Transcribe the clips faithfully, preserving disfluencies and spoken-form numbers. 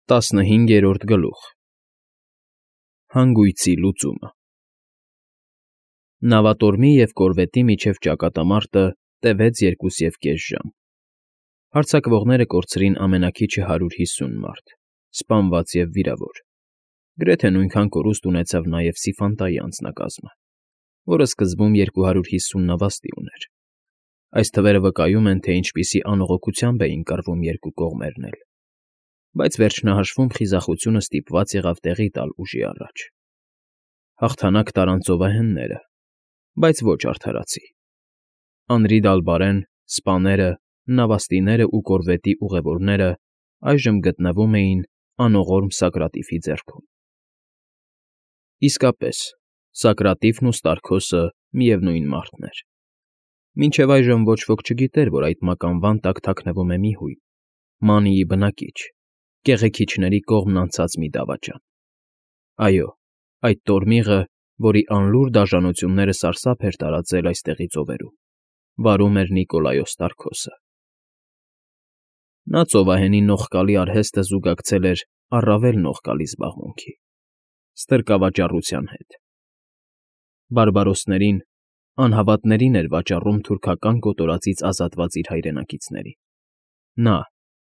Տասնհինգերորդ գլուխ Հանգույցի լուծումը Նավատորմի և կորվետի միջև ճակատամարտը տևեց երկուսևկես ժամ. հարձակվողները կորցրին ամենաքիչը հարյուր հիսուն մարդ, սպանված և վիրավոր, գրեթե նույնքան կորուստ ունեցավ նաև Սիֆանտայի անձնակազմը, որը սկզբում երկու հարյուր հիսուն նավաստի ուներ. այս թվերը վկայում են, թե ինչպիսի անողոքությամբ էին կռվում երկու կողմերն էլ, բայց վերջնահաշվում խիզախությունը ստիպված եղավ տեղի տալ ուժի առաջ. հաղթանակ տարան ծովահենները, բայց ոչ արդարացի. Անրի֊Դալբարեն, սպաները, նավաստիներն ու կորվետի ուղևորները այժմ գտնվում էին անողորմ Սակրատիֆի ձեռքում։ Իսկապես, Սակրատիֆն ու Ստարքոսը միևնույն մարդն էր. մինչև այժմ ոչ ոք չգիտեր, որ այդ մականվան տակ թաքնվում է մի հույն, Մանիի բնակիչ, կեղեքիչների կողմն անցած մի դավաճան։ Այո, այդ տորմիղը, որի անլուռ դաժանությունները սարսափ էր տարածել այստեղի ծովերում, վարում էր Նիկոլայոս Ստարքոսը։ Նա ծովահենի նողկալի արհեստը զուգակցել էր առավել նողկալի զբաղմունքի՝ ստրկավաճառության հետ։ բարբարոսներին, անհավատներին էր վաճառում թուրքական կոտորածից ազատված իր հայրենակիցներին։ Նա՝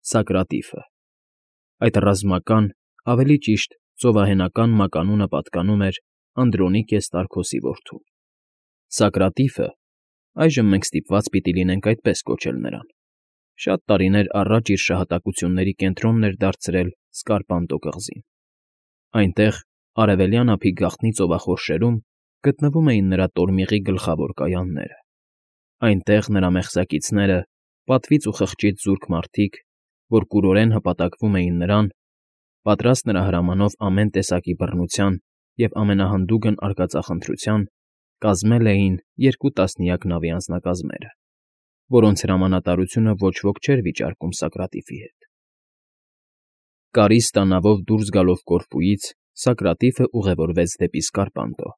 Սակրատիֆը, այդ ռազմական, ավելի ճիշտ ծովահենական մականունը պատկանում էր Անդրոնիկե Ստարքոսի որդուն։ Սակրատիֆը (այժմ մենք ստիպված պիտի լինենք այդպես կոչել նրան) շատ տարիներ առաջ իր շահատակությունների կենտրոնն էր դարձրել Սկարպանտո կղզին։ Այնտեղ, արևելյան ափի գաղտնի ծովախորշերում, գտնվում էին նրա տորմիղի գլխավոր կայանները։ Այնտեղ նրա մեղսակիցները, պատվից ու խղճից զուրկ մարդիկ, որ կուրորեն հպատակվում էին նրան, պատրաստ նրա հրամանով ամեն տեսակի բռնության և ամենահանդուգն արկածախնդրության, կազմել էին երկու տասնյակ նավի անձնակազմերը, որոնց հրամանատարությունը ոչ ոք չէր վիճարկում Սակրատիֆի հետ։ Կարիստա նավով դուրս գալով Կորֆուից՝ Սակրատիֆը ուղևորվեց դեպի Սկարպանտո։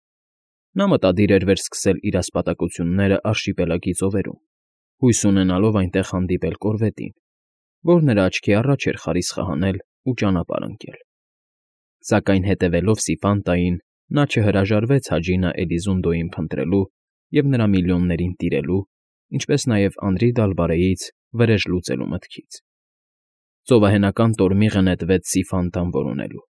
Նա մտադիր էր վերսկսել իր ասպատակությունները արշիպելագի ծովերում, հույս ունենալով այնտեղ հանդիպել կորվետին, որ նրա աչքի առաջ էր խարիսխը հանել ու ճանապարհ ընկնել։ Սակայն հետևելով Սիֆանտային՝ նա չհրաժարվեց Հաջինա Էլիզունդոյին փնտրելու և նրա միլիոններին տիրելու, ինչպես նաև Անրի֊Դալբարեից վրեժ լուծելու մտքից։ Ծովահենական տորմիղը նետվեց Սիֆանտան որոնելու։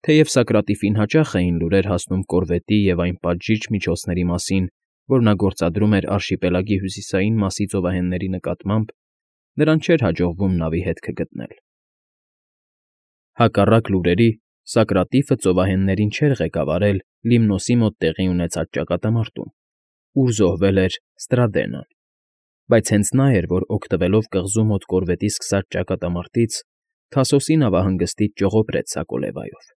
Թեև Սակրատիֆին հաճախ էին լուրեր հասնում կորվետի և այն պատժիչ միջոցների մասին, որ նա գործադրում էր արշիպելագի հյուսիսային մասի ծովահենների նկատմամբ, նրան չէր հաջողվում նավի հետքը գտնել։ Հակառակ լուրերի, Սակրատիֆը ծովահեններին չէր ղեկավարել Լիմնոսի մոտ տեղի ունեցած ճակատամարտում, ուր զոհվել էր Ստրադենան, բայց հենց նա էր, որ օգտվելով կղզու մոտ կորվետի սկսած ճակատամարտից, Թասոսի նավահանգստից ճողոպրեց Սակոլևայով։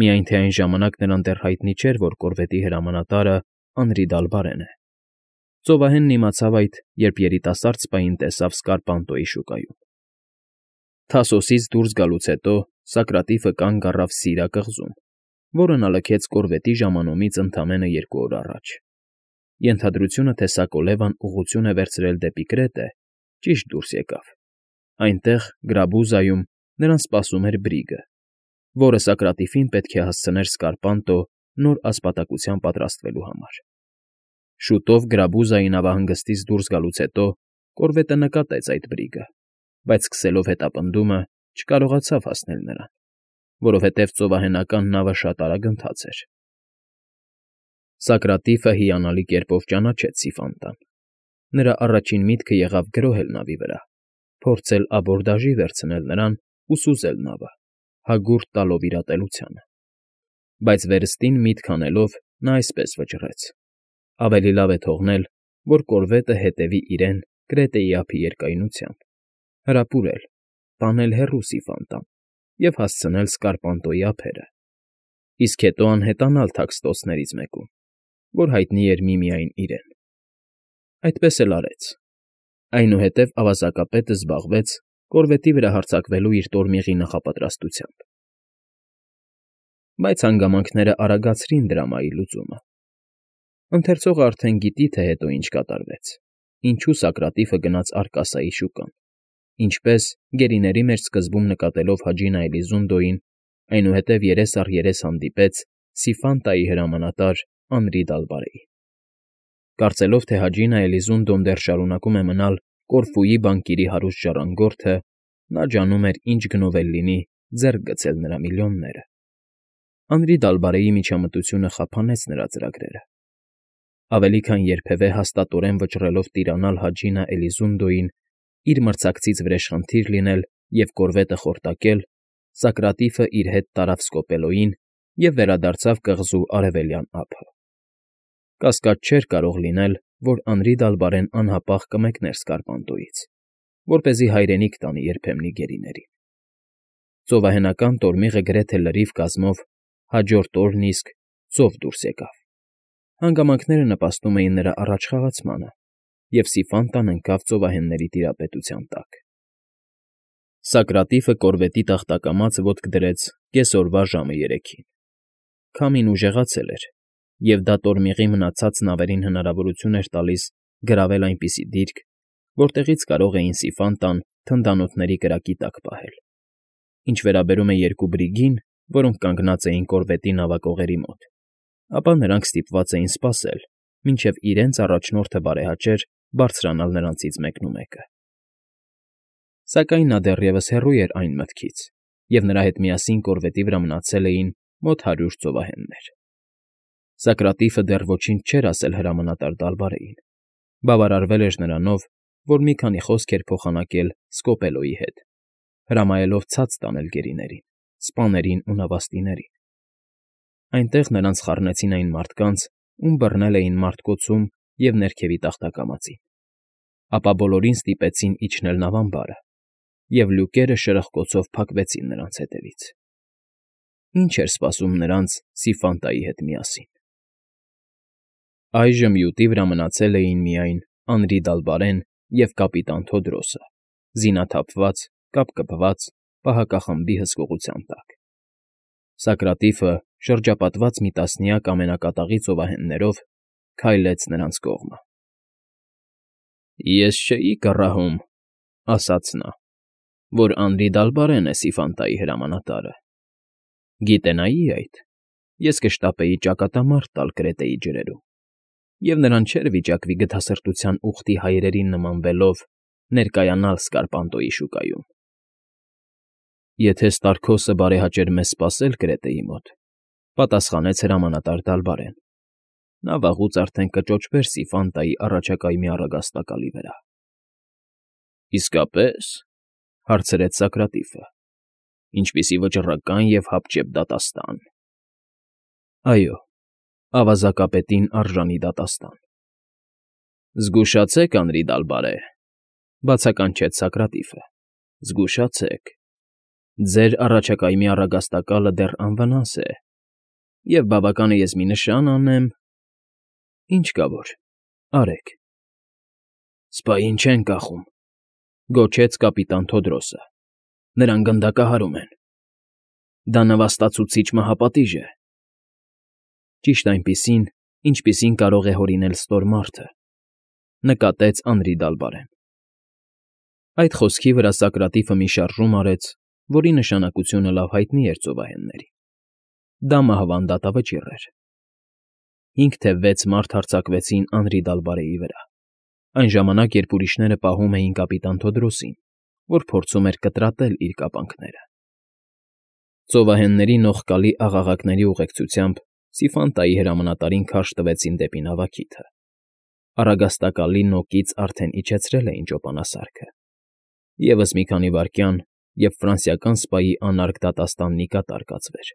Միայն թե այն ժամանակ նրան դեռ հայտնի չէր, որ կորվետի հրամանատարը Անրի֊Դալբարեն է։ Ծովահենն իմացավ այդ, երբ երիտասարդ սպային տեսավ Սկարպանտոյի շուկայում։ Թասոսից դուրս գալուց հետո Սակրատիֆը կանգ առավ Սիրա կղզում, որը նա լքեց կորվետի ժամանումից ընդամենը երկու օր առաջ։ Ենթադրությունը, թե Սակոլևան ուղղություն է վերցրել դեպի Կրետե, ճիշտ դուրս եկավ։ Այնտեղ, Գրաբուզայում, նրան սպասում էր Բրիգը, որը Սակրատիֆին պետք է հասցներ Սկարպանտո նոր ասպատակության պատրաստվելու համար։ Շուտով Գրաբուզայի նավահանգստից դուրս գալուց հետո կորվետը նկատեց այդ Բրիգը, բայց սկսելով հետապնդումը, չկարողացավ հասնել նրան, որովհետև ծովահենական նավը շատ արագընթաց էր։ Սակրատիֆը հիանալի կերպով ճանաչեց Սիֆանտան։ Նրա առաջին միտքը եղավ գրոհել նավի վրա, փորձել աբորդաժի վերցնել նրան ու սուզել նավը, հագուրդ տալով իր ատելությանը։ Բայց վերստին միտք անելով՝ նա այսպես վճռեց. ավելի լավ է թողնել, որ կորվետը հետևի իրեն Կրետեի ափի երկայնությամբ, հրապուրել, տանել հեռու Սիֆանտան և հասցնել Սկարպանտոյի ափերը, իսկ հետո անհետանալ թաքստոցներից մեկում, որ հայտնի էր միմիայն իրեն։ Այդպես էլ արեց։ Այնուհետև ավազակապետը զբաղվեց կորվետի վրա հարձակվելու իր տորմիղի նախապատրաստությամբ։ Բայց հանգամանքները արագացրին դրամայի լուծումը։ Ընթերցողը արդեն գիտի, թե հետո ինչ կատարվեց, ինչու Սակրատիֆը գնաց Արկասայի շուկան, Ինչպես, գերիների մեջ սկզբում նկատելով Հաջինա Էլիզունդոյին, այնուհետև երես առ երես հանդիպեց Սիֆան֊տայի հրամանատար Անրի Դալբարեին։ Կարծելով, թե Հաջինա Էլիզունդոն դեռ շարունակում է մնալ Կորֆուի բանկիրի հարուստ ժառանգորդը, նա ջանում էր ինչ գնով էլ լինի ձեռք գցել նրա միլիոնները։ Անրի Դալբարեի միջամտությունը խափանեց նրա ծրագրերը։ Ավելի քան երբևէ հաստատորեն վճռելով տիրանալ Հաջինա Էլիզունդոյին, իր մրցակցից վրեժխնդիր լինել և կորվետը խորտակել, Սոկրատիֆը իր հետ տարավ Սկոպելոյին և վերադարձավ կղզու արևելյան ափը։ Կասկած չէր կարող լինել, որ Անրի Դալբարեն անհապաղ կմեկներ Սկարպանտոյից, որպեսզի հայրենիք տանի երբեմնի գերիներին։ Ծովահենական տորմիղը գրեթե լրիվ կազմով հաջորդ օրն իսկ ծով դուրս եկավ։ Հանգամանքները նպաստում էին նրա առաջխաղացմանը, և Սիֆան֊տան ընկավ ծովահենների տիրապետության տակ։ Սոկրատիֆը կորվետի տախտակամածը ոտք դրեց կեսօրվա ժամը երեքին։ Քամին ուժեղացել էր, և դա տորմիղի մնացած նավերին հնարավորություն էր տալիս գրավել այնպիսի դիրք, որտեղից կարող էին Սիֆան֊տան թնդանոթների կրակի տակ պահել։ Ինչ վերաբերում է երկու բրիգին, որոնք կանգնած էին կորվետի նավակողերի մոտ, ապա նրանք ստիպված էին սպասել, մինչև իրենց առաջնորդը բարեհաճեր բարձրանալ նրանցից մեկնումեկը։ Սակայն նա դեռևս հեռու էր այն մտքից, և նրա հետ միասին կորվետի վրա մնացել էին մոտ հարյուր ծովահեններ։ Սոկրատիֆը դեռ ոչինչ չէր ասել հրամանատար Դալբարեին, բավարարվել էր նրանով, որ մի քանի խոսք էր փոխանակել Սկոպելոյի հետ, հրամայելով ցած տանել գերիներին, սպաներին ու նավաստիներին։ Այնտեղ նրանց խառնեցին այն մարդկանց, ում բռնել էին մարտկոցում և ներքևի տախտակամածին, ապա բոլորին ստիպեցին իջնել նավամբարը, և լյուկերը շրխկոցով փակվեցին նրանց հետևից։ Ինչ էր սպասում նրանց Սիֆան֊տայի հետ միասին։ Այժմ յուտի վրա մնացել էին միայն Անրի Դալբարեն և կապիտան Թոդրոսը, զինաթափված, կապկպված, պահակախմբի հսկողության տակ։ Սոկրատիֆը, շրջապատված մի տասնյակ ամենակատաղի ծովահեններով, քայլեց նրանց կողմը։ ֊ Ես չէի կռահում,֊ ասաց նա,֊ որ Անրի Դալբարեն է Սիֆան֊տայի հրամանատարը։ Գիտենայի այդ, ես կշտապեի ճակատամարտ տալ Կրետեի ջրերում, և նրան չէր վիճակվի գթասրտության ուխտի հայրերին նմանվելով ներկայանալ Սկարպանտոյի շուկայում։ Եթե Ստարքոսը բարեհաճեր մեզ սպասել Կրետեի մոտ,֊ պատասխանեց հրամանատար Դալբարեն,֊ նա վաղուց արդեն կճոճվեր Սիֆան֊տայի առաջակայմի առագաստակալի վրա։ ֊ Իսկապե՞ս,֊ հարցրեց Սոկրատիֆը,֊ ինչպիսի վճռական և հապճեպ դատաստան։ ֊ Այո, ավազակապետին արժանի դատաստան։ ֊ Զգուշացեք, Անրի Դալբարե,֊ բացականչեց Սոկրատիֆը,֊ զգուշացեք. ձեր առաջակայմի առագաստակալը դեռ անվնաս է, և բավական է ես մի նշան անեմ… Ինչ կա որ, արեք։ ֊ Սպային չեն կախում,֊ գոչեց կապիտան Թոդրոսը,֊ նրան գնդակահարում են։ Դա նվաստացուցիչ մահապատիժ է։ Ճիշտ այնպիսին, ինչպիսին կարող է հորինել ստոր մարդը,֊ նկատեց Անրի Դալբարեն։ Այդ խոսքի վրա Սոկրատիֆը մի շարժում արեց, որի նշանակությունը լավ հայտնի էր ծովահեններին։ Դա մահվան դատավճիռ էր։ Հինգ թե վեց մարդ հարձակվեցին Անրի Դալբարեի վրա, այն ժամանակ, երբ ուրիշները պահում էին կապիտան Թոդրոսին, որ փորձում էր կտրատել իր կապանքները։ Ծովահենների նողկալի աղաղակների ուղեկցությամբ Սիֆան֊տայի հրամանատարին քարշ տվեցին դեպի նավակիթը։ Առագաստակալի նոկից արդեն իջեցրել էին ճոպանասարքը։ Եվս մի քանի վայրկյան, և ֆրանսիական սպայի անարգ դատաստանն ի կատար կացվեր։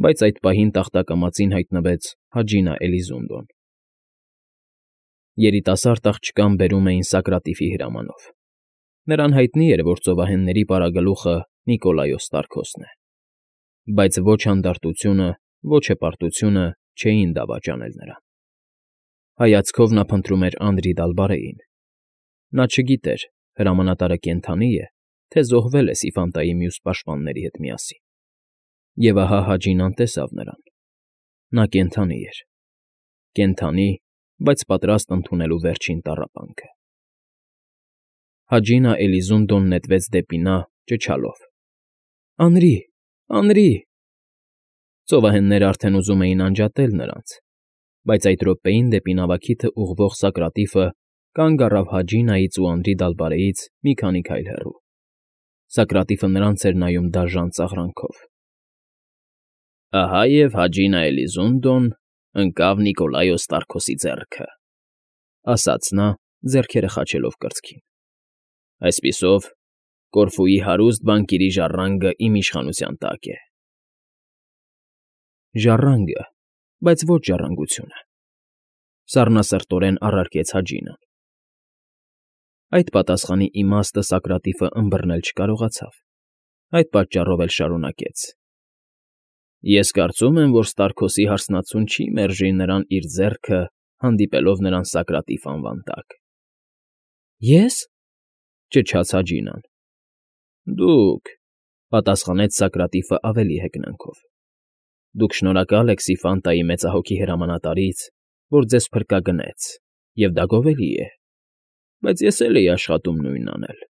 Բայց այդ պահին տախտակամածին հայտնվեց Հաջինա Էլիզունդոն։ Երիտասարդ աղջկան բերում էին Սոկրատիֆի հրամանով։ Նրան հայտնի էր, որ ծովահենների պարագլուխը Նիկոլայոս Ստարքոսն է։ Բայց ոչ հանդարտությունը, ոչ հպարտությունը չէին դավաճանել նրան։ Հայացքով նա փնտրում էր Անրի Դալբարեին։ Նա չգիտեր՝ հրամանատարը կենդանի է, թե զոհվել է Սիֆան֊տայի մյուս պաշտպանների հետ միասին։ Եվ ահա Հաջինան տեսավ նրան։ Նա կենդանի էր։ Կենդանի, բայց պատրաստ ընդունելու վերջին տառապանքը։ Հաջինա Էլիզունդոն նետվեց դեպի նա, ճչալով. «Անրի, անրի»։ Ծովահենները արդեն ուզում էին անջատել նրանց, բայց այդ րոպեին դեպի նավակիթը ուղղվող Սակրատիֆը կանգ առավ Հաջինայից ու Անրի Դալբարեից մի քանի քայլ հեռու։ Սակրատիֆը նրանց էր նայում դաժան ծաղրանքով։ «Ահա և Հաջինա Էլիզունդոն ընկավ Նիկոլայոս Տարքոսի ձեռքը», ասաց նա, ձեռքերը խաչելով կրծքին։ «Այսպիսով, Կորֆուի հարուստ բանկիրի ժառանգը իմ իշխանության տակ է»։ «Ժառանգը, բայց ոչ ժառանգությունը», սառնասրտորեն առարկեց Հաջինան։ Այդ պատասխանի իմաստը Սակրատիֆը ըմբռնել չկարողացավ, այդ պատճառով էլ շարունակեց. «Ես կարծում եմ, որ Ստարքոսի հարսնացուն չի մերժի նրան իր ձեռքը, հանդիպելով նրան Սակրատիֆ անվան տակ»։ «Ե՞ս», ճչաց Հաջինան։ «Դուք», պատասխանեց Սակրատիֆը ավելի հեգնանքով։ «Դուք շնորհակալ եք Սիֆանտայի մեծահոգի հրամանատարից, որ ձեզ փրկագնեց, և դա գովելի է, բայց ես էլ էի աշխատում նույնն անել,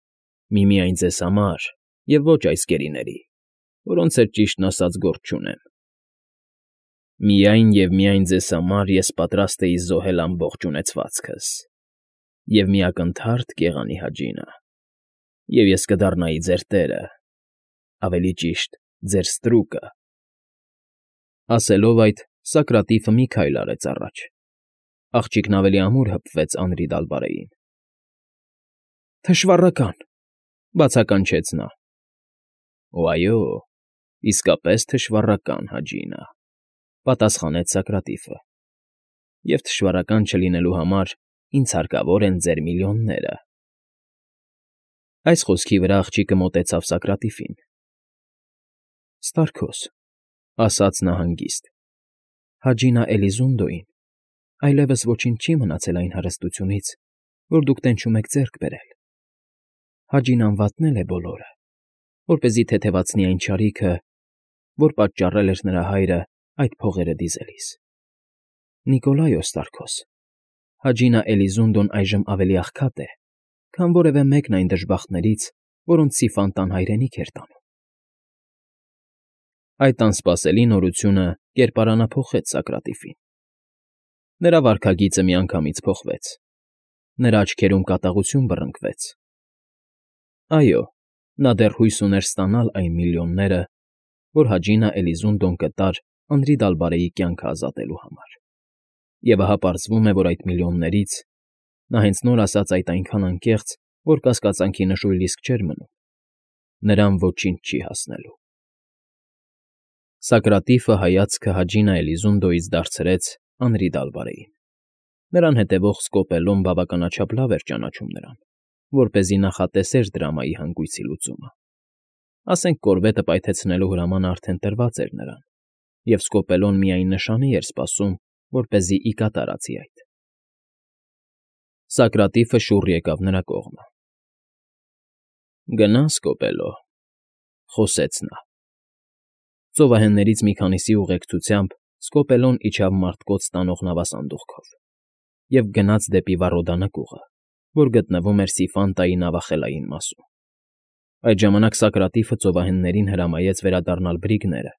միմիայն ձեզ համար և ոչ այս գերիների, որոնց հետ, ճիշտն ասած, գործ չունեմ։ Միայն և միայն ձեզ համար ես պատրաստ էի զոհել ամբողջ ունեցվածքս և մի ակնթարթ կեղանի Հաջինա, և ես կդառնայի ձեր տերը, ավելի ճիշտ, ձեր ստրուկը»։ Ասելով այդ, Սակրատիֆը մի քայլ արեց առաջ։ Աղջիկն ավելի ամուր հպվեց Անրի Դալբարեին։ «Թշվառական», բացականչեց նա։ «Օ, այո, իսկապես թշվառական, Հաջինա», պատասխանեց Սակրատիֆը։ «Եվ թշվառական չլինելու համար ինձ հարկավոր են ձեր միլիոնները»։ Այս խոսքի վրա աղջիկը մոտեցավ Սակրատիֆին։ «Ստարքոս», ասաց նա հանգիստ, «Հաջինա Էլիզունդոյին այլևս ոչինչ չի մնացել այն հարստությունից, որ դուք տենչում եք ձեռք բերել։ Հաջինան վատնել է բոլորը, որպեսզի թեթևացնի այն չարիքը, որ պատճառել էր նրա հայրը այդ փողերը դիզելիս։ Նիկոլայոս Տարքոս, Հաջինա Էլիզունդոն այժմ ավելի աղքատ է, քան որևէ մեկն այն դժբախտներից, որոնց Սիֆանտան հայրենիք էր տանում»։ Այդ անսպասելի նորությունը կերպարանափոխեց Սակրատիֆին։ Նրա վարքագիծը միանգամից փոխվեց։ Նրա աչքերում կատաղություն բռնկվեց։ Այո, նա դեռ հույս ուներ ստանալ այն միլիոնները, որ Հաջինա Էլիզունդոն կտար Անրի Դալբարեի կյանքը ազատելու համար։ Եվ ահա պարզվում է, որ այդ միլիոններից (նա հենց նոր ասաց այդ այնքան անկեղծ, որ կասկածանքի նշույլ իսկ չէր մնում) նրան ոչինչ չի հասնելու։ Սակրատիֆը հայացքը Հաջինա Էլիզունդոյից դարձրեց Անրի Դալբարեին։ Նրան հետևող Սկոպելոն բավականաչափ լավ էր ճանաչում նրան, որպեսզի նախատեսեր դրամայի հանգույցի լուծումը։ Ասենք կորվետը պայթեցնելու հրամանը արդեն տրված էր նրան, և Սկոպելոն միայն նշանի էր սպասում, որպեսզի ի կատարածի այդ։ Սակրատիֆը շուռ եկավ նրա կողմը։ «Գնա, Սկոպելո», խոսեց նա։ Ծովահեններից մի քանիսի ուղեկցությամբ Սկոպելոն իջավ մարդկոց տանող նավասանդուղքով և գնաց դեպի Վառոդա նկուղը, որ գտնվում էր Սիֆանտայի նավախելային մասում։ Այդ ժամանակ Սակրատիֆը ծովահեններին հրամայեց վերադառնալ բրիգները,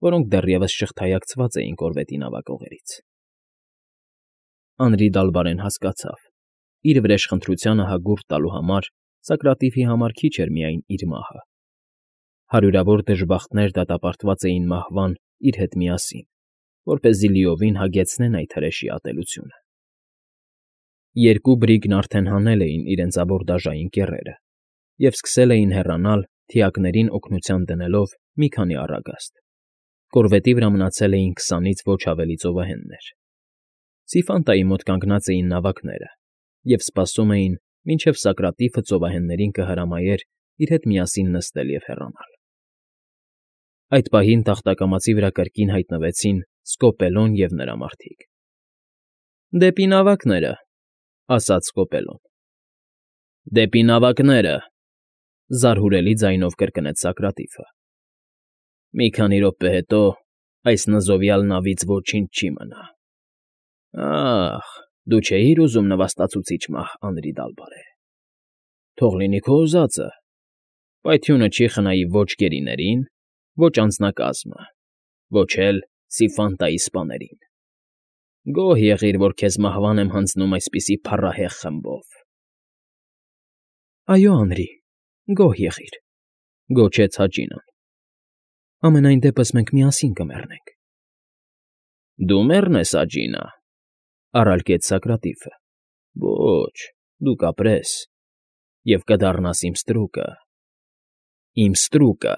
որոնք դեռևս շղթայակցված էին կորվետի նավակողերից։ Անրի Դալբարեն հասկացավ. իր վրեժխնդրությանը հագուրդ տալու համար Սակրատիֆի համար քիչ էր միայն իր մահը։ Հարյուրավոր դժբախտներ դատապարտված էին մահվան իր հետ միասին, որպեսզի լիովին հագեցնեն այդ հրեշի ատելությունը։ Երկու բրիգն արդեն հանել էին իրենց աբորդաժային կեռերը և սկսել էին հեռանալ, թիակներին օգնության դնելով մի քանի առագաստ։ Կորվետի վրա մնացել էին քսանից ոչ ավելի ծովահեններ։ Սիֆանտայի մոտ կանգնած էին նավակները և սպասում էին, մինչև Սակրատիֆը ծովահեններին կհրամայեր իր հետ միասին նստել և հեռանալ։ Այդ պահին տախտակամածի վրա կրկին հայտնվեցին Սկոպելոն և նրա մարդիկ։ «Դեպի նավակները», ասաց Սկոպելոն։ «Դեպի նավակները», զարհուրելի ձայնով կրկնեց Սակրատիֆը։ «Մի քանի րոպե հետո այս նզովյալ նավից ոչինչ չի մնա։ Ա՜խ, դու չէիր ուզում նվաստացուցիչ մահ, Անրի Դալբարե։ Թող լինի քո ուզածը, պայթյունը չի խնայի ոչ գերիներին, ոչ անձնակազմը, ոչ էլ Սիֆանտայի սպաներին։ Գոհ եղիր, որ քեզ մահվան եմ հանձնում այսպիսի փառահեղ խմբով։ ֊ Այո, Անրի, գոհ եղիր,֊ գոչեց Հաճինան։ Ամենայն դեպս մենք միասին կմեռնենք։ ֊ Դու մեռնես, Աջինա,֊ առարկեց Սակրատիֆը։ Ոչ, դու կապրես և կդառնաս իմ ստրուկը, իմ ստրուկը,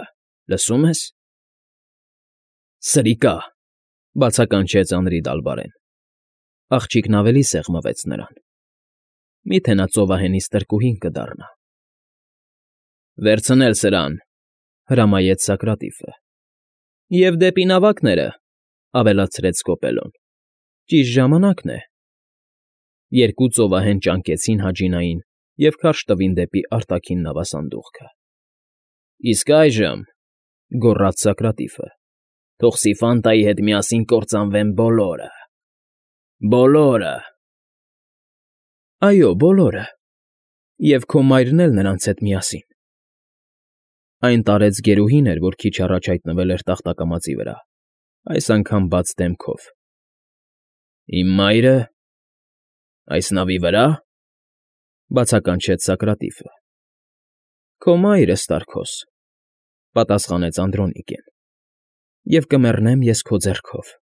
լսո՞ւմ ես։ ֊ Սրիկա,֊ բացականչեց Անրի Դալբարեն։ Աղջիկն ավելի սեղմվեց նրան։ Մի՞թե նա ծովահենից տրկուհին կդառնա։ ֊ Վերցնել սրան,֊ հրամայեց Սակրատիֆը։ ֊ Եվ դեպի նավակները,֊ ավելացրեց Սկոպելոն,֊ ճիշտ ժամանակն է։ Երկու ծովահեն ճանկեցին Հաճինային և քարշ տվին դեպի արտաքին նավասանդուղքը։ ֊ Իսկ այժմ,֊ գոռաց Սակրատիֆը,֊ թող Սիֆանտայի հետ միասին կործանվեն բոլորը, բոլորը… ֊ Այո, բոլորը, և քո մայրն էլ նրանց հետ միասին…֊ Այն տարեց գերուհին էր, որ քիչ առաջ հայտնվել էր տախտակամածի վրա, այս անգամ բաց դեմքով։ ֊ Իմ մայրը… այս նավի վրա՞, բացականչեց Սակրատիֆը։ ֊ Քո մայրը, Ստարքոս,֊ պատասխանեց Անդրոնիկեն,֊ և կմեռնեմ ես քո ձեռքով։ ֊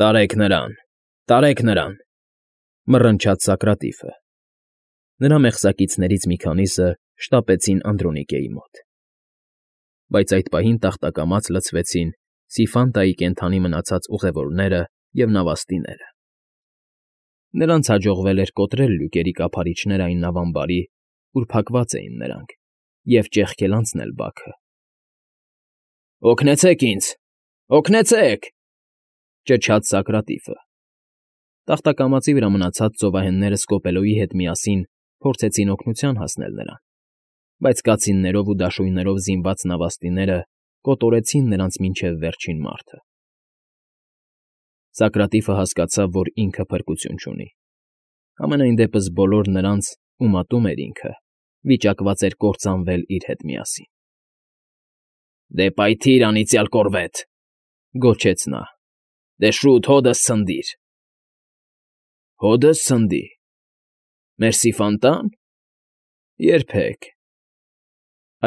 Տարեք նրան, տարեք նրան,֊ մռնչաց Սակրատիֆը։ Նրա մեղսակիցներից մի քանիսը շտապեցին Անդրոնիկեի մոտ։ Բայց այդ պահին տախտակամաց լցվեցին Սիֆանտայի կենդանի մնացած ուղևորները և նավաստիները։ Նրանց հաջողվել էր կոտրել լյուկերի կափարիչներ այն նավամբարի, ուր փակված էին նրանք, և ճեղքել անցնել բաքը։ ֊ Օգնեցե՛ք ինձ, օգնեցե՛ք,֊ ճչաց Սակրատիֆը։ Տախտակամածի վրա մնացած ծովահենները Սկոպելոյի հետ միասին փորձեցին օգնության հասնել նրան, բայց կացիններով ու դաշույններով զինված նավաստիները կոտորեցին նրանց մինչև վերջին մարդը։ Սակրատիֆը հասկացավ, որ ինքը փրկություն չունի։ Համենայն դեպս բոլոր նրանց, ում ատում էր ինքը, վիճակված էր կործանվել իր հետ միասին։ ֊ Դե պայթիր, անիծյալ կորվետ,֊ գոչեց նա։֊ Դե շուտ հոդս ցնդիր։ ֊ Հոդս ցնդի… Մեր Սիֆանտա՞ն… Երբեք…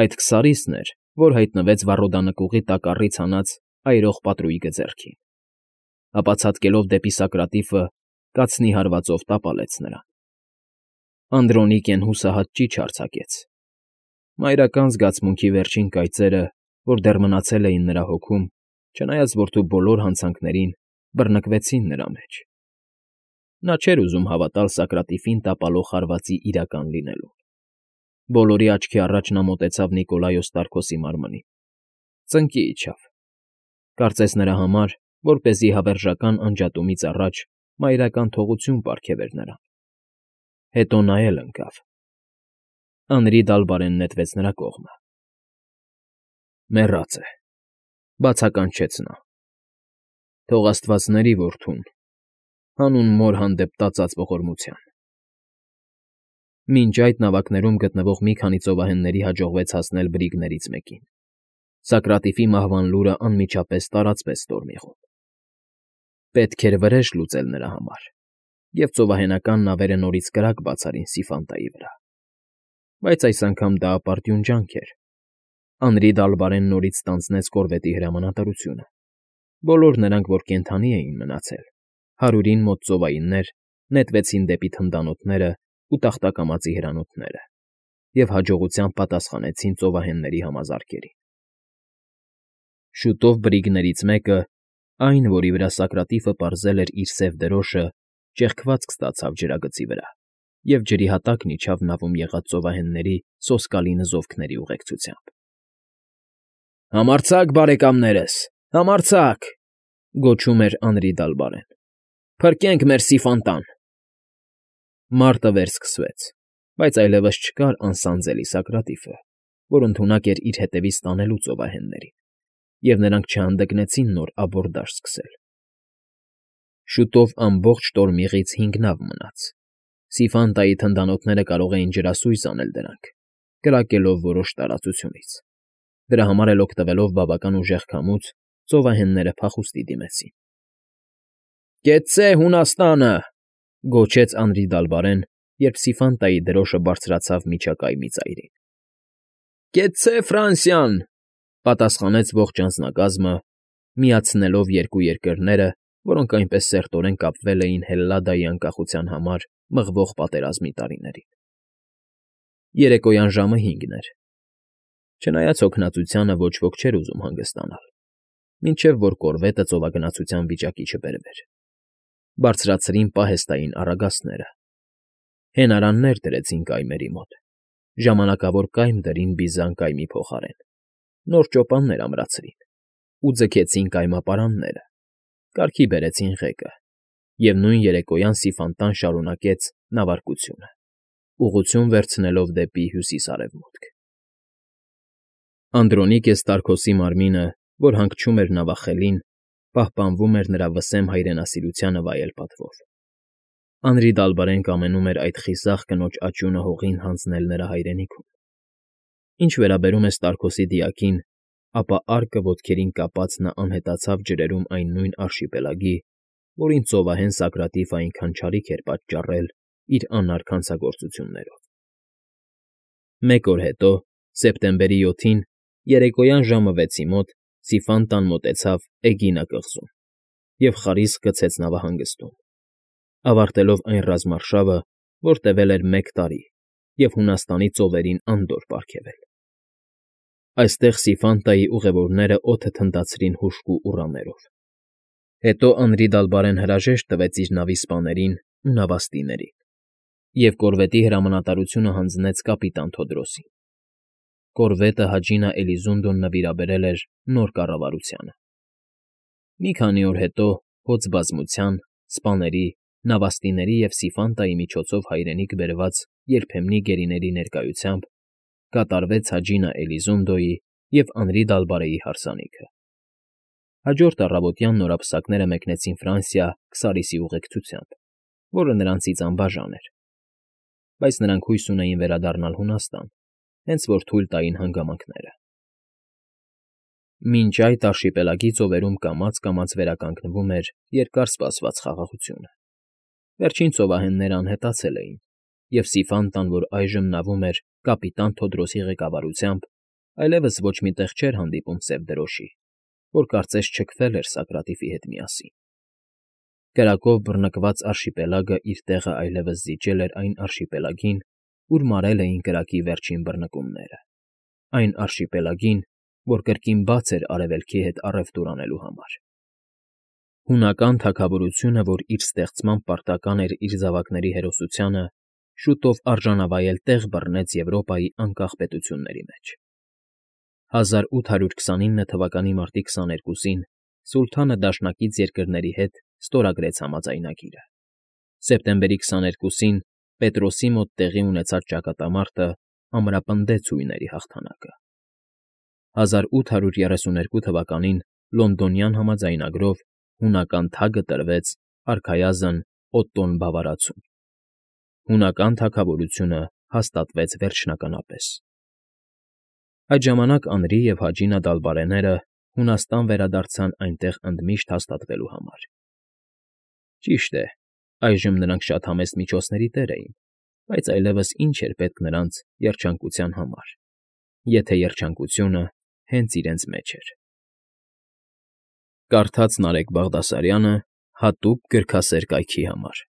Այդ քսարիսն էր, որ հայտնվեց վառոդանկուղի տակառից հանած այրող պատրույգը ձեռքին։ Ապա ցատկելով դեպի Սակրատիֆը, կացնի հարվածով տապալեց նրան։ Անդրոնիկեն հուսահատ ճիչ արձակեց։ Մայրական զգացմունքի վերջին կայծերը, որ դեռ մնացել էին նրա հոգում, չնայած որդու բոլոր հանցանքներին, բռնկվեցին նրա մեջ։ Նա չէր ուզում հավատալ Սակրատիֆին տապալող հարվածի իրական լինելուն։ Բոլորի աչքի առաջ նա մոտեցավ Նիկոլայոս Տարքոսի մարմնին։ Ծնկի իջավ։ Կարծես նրա համար, որպեսզի հավերժական անջատումից առաջ մայրական թողություն պարգևեր նրան։ Հետո նա էլ ընկավ։ Անրի Դալբարենն նետվեց նրա կողմը։ ֊ Մեռած է,֊ բացականչեց նա։ Թող աստված ների որդուն, հանուն մոր հանդեպ տածած ողորմության։ Մինչ այդ նավակներում գտնվող մի քանի ծովահենների հաջողվեց հասնել բրիգներից մեկին։ Սակրատիֆի մահվան լուրը անմիջապես տարածվեց Ստորմիղում։ Պետք էր վրեժ լուծել նրա համար, և ծովահենական նավերը նորից կրակ բացարին Սիֆանտայի վրա։ Բայց այս անգամ դա ապարդյուն ջանք էր։ Անրի Դալբարեն նորից ստանձնեց կորվետի հրամանատարությունը։ Բոլոր նրանք, որ կենդանի էին մնացել, հարյուրին մոտ ծովայիններ, նետվեցին դեպի թնդանոթներն ու տախտակամածի հրանոթները և հաջողությամբ պատասխանեցին ծովահենների համազարկերին։ Շուտով բրիգներից մեկը, այն, որի վրա Սակրատիֆը պարզել էր իր սև դրոշը, ճեղքվածք ստացավ ջրագծի վրա և ջրի հատակն իջավ նավում եղած ծովահենների սոսկալի նզովքների ուղեկցությամբ։ ֊ Համարձակ, բարեկամներս, համարձակ,֊ գոչում էր Անրի Դալբարեն,֊ Փրկենք մեր Սիֆանտան… Մարտը վերսկսվեց, բայց այլևս չկար անսանձելի Սակրատիֆը, որ ընդունակ էր իր հետևից տանելու ծովահեններին, և նրանք չհանդգնեցին նոր աբորդաժ սկսել։ Շուտով ամբողջ Տորմիղից հինգ նավ մնաց, Սիֆանտայի թնդանոթները կարող էին ջրասույզ անել դրանք, կրակելով որոշ տարածությունից։ Դրա համար էլ օգտվելով բավական ուժեղ քամուց, ծովահենները փախուստի դիմեցին։ ֊ Կեցցե Հունաստանը,֊ գոչեց Անրի դալբարեն, երբ Սիֆանտայի դրոշը բարձրացավ միջակայմի ծայրին։ ֊ Կեցցե Ֆրանսիան,֊ պատասխանեց ողջ անձնակազմը, միացնելով երկու երկրները, որոնք այնպես սերտորեն կապվել էին Հելլադայի անկախության համար մղվող պատերազմի տարիներին։ Երեկոյան ժամը հինգն էր։ Չնայած հոգնածությանը ոչ ոք չէր ուզում հանգստանալ, մինչև որ կորվետը ծովագնացության վիճակի չբերվեր։ Բարձրացրին պահեստային առագաստները։ Հենարաններ դրեցին կայմերի մոտ, ժամանակավոր կայմ դրին բիզան կայմի փոխարեն, նոր ճոպաններ ամրացրին ու ձգեցին կայմապարանները, կարգի բերեցին ղեկը, և նույն երեկոյան Սիֆանտան շարունակեց նավարկությունը, ուղղություն վերցնելով դեպի հյուսիս֊արևմուտք։ Անդրոնիկե Ստարքոսի մարմինը, որ հանգչում էր նավախելին, պահպանվում էր նրա վսեմ հայրենասիրությանը վայել պատվով։ Անրի Դալբարեն կամենում էր այդ խիզախ կնոջ աճյունը հողին հանձնել նրա հայրենիքում։ Ինչ վերաբերում է Ստարքոսի դիակին, ապա արկը ոտքերին կապած նա անհետացավ ջրերում այն նույն արշիպելագի, որին ծովահեն Սոկրատիֆը այնքան չարիք էր պատճառել իր անարգ հանցագործություններով։ Մեկ օր հետո, սեպտեմբերի յոթին, երեկոյան ժամը վեցի մոտ Սիֆանտան մոտեցավ Էգինա կղզուն և խարիսկ գցեց նավահանգստում, ավարտելով այն ռազմարշավը, որ տևել էր մեկ տարի և Հունաստանի ծովերին անդորր պարգևել։ Այստեղ Սիֆանտայի ուղևորները օդը թնդացրին հուժկու ուռաներով։ Հետո Անրի Դալբարեն հրաժեշտ տվեց իր նավի սպաներին ու նավաստիներին և կորվետի հրամանատարությունը հանձնեց կապիտան Թոդրոսին։ Կորվետը Հաջինա Էլիզունդուն նվիրաբերել էր նոր կառավարությանը։ Մի քանի օր հետո, հոծ բազմության, սպաների, նավաստիների և Սիֆանտայի միջոցով հայրենիք բերված երբեմնի գերիների ներկայությամբ կատարվեց Հաջինա Էլիզունդոյի և Անրի Դալբարեի հարսանիքը։ Հաջորդ առավոտյան նորապսակները մեկնեցին Ֆրանսիա Քսարիսի ուղեկցությամբ, որը նրանցից անբաժան էր, բայց նրանք հույս ունեին վերադառնալ Հունաստան, հենց որ թույլ տային հանգամանքները։ Մինչ այդ արշիպելագի ծովերում կամաց֊կամաց վերականգնվում էր երկար սպասված խաղաղությունը։ Վերջին ծովահենները անհետացել էին, և Սիֆանտան, որ այժմ նավում էր կապիտան Թոդրոսի ղեկավարությամբ, այլևս ոչ մի տեղ չէր հանդիպում սև դրոշի, որ կարծես չքվել էր Սոկրատիֆի հետ միասին։ Կրակով բռնկված արշիպելագը իր տեղը այլևս զիջել էր այն արշիպելագին, ուր մարել էին կրակի վերջին բռնկումները, այն արշիպելագին, որ կրկին բաց էր Արևելքի հետ առևտուր անելու համար։ Հունական թագավորությունը, որ իր ստեղծմամբ պարտական էր իր զավակների հերոսությանը, շուտով արժանավայել տեղ բռնեց Եվրոպայի անկախ պետությունների մեջ։ հազար ութ հարյուր քսանինը թվականի մարտի քսաներկուսին սուլթանը դաշնակից երկրների հետ ստորագրեց համաձայնագիրը։ Սեպտեմբերի քսաներկուսին Պետրոսի մոտ տեղի ունեցած ճակատամարտը ամրապնդեց հույների հաղթանակը։ հազար ութ հարյուր երեսուներկու թվականին Լոնդոնյան համաձայնագրով հունական թագը տրվեց արքայազն Օտտոն Բավարացուն։ Հունական թագավորությունը հաստատվեց վերջնականապես։ Այդ ժամանակ Անրի և Հաջինա Դալբարեները Հունաստան վերադարձան այնտեղ ընդմիշտ հաստատվելու համար։ Ճիշտ է, այժմ նրանք շատ համեստ միջոցների տեր էին, բայց այլևս ինչ էր պետք նրանց երջանկության համար, եթե երջանկությունը հենց իրենց մեջ էր։ Կարդաց Նարեկ Բաղդասարյանը հատուկ գրքասեր կայքի համար։